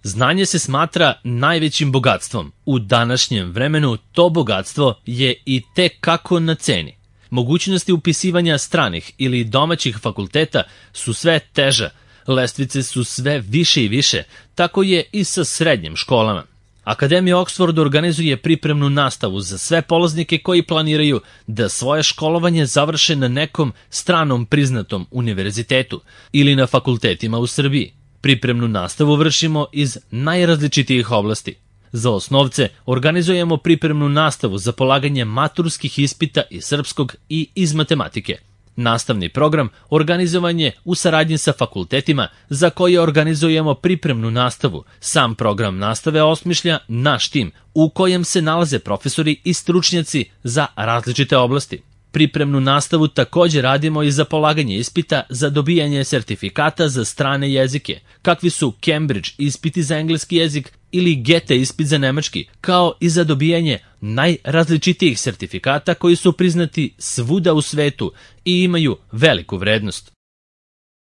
Znanje se smatra najvećim bogatstvom. U današnjem vremenu to bogatstvo je i tek kako na ceni. Mogućnosti upisivanja stranih ili domaćih fakulteta su sve teža, lestvice su sve više i više, tako je i sa srednjim školama. Akademija Oxford organizuje pripremnu nastavu za sve polaznike koji planiraju da svoje školovanje završe na nekom stranom priznatom univerzitetu ili na fakultetima u Srbiji. Pripremnu nastavu vršimo iz najrazličitijih oblasti. Za osnovce organizujemo pripremnu nastavu za polaganje maturskih ispita iz srpskog i iz matematike. Nastavni program organizovan je u saradnji sa fakultetima za koje organizujemo pripremnu nastavu. Sam program nastave osmišlja naš tim u kojem se nalaze profesori i stručnjaci za različite oblasti. Pripremnu nastavu također radimo i za polaganje ispita za dobijanje sertifikata za strane jezike, kakvi su Cambridge ispiti za engleski jezik ili Goethe ispit za nemački, kao i za dobijanje najrazličitijih sertifikata koji su priznati svuda u svetu i imaju veliku vrednost.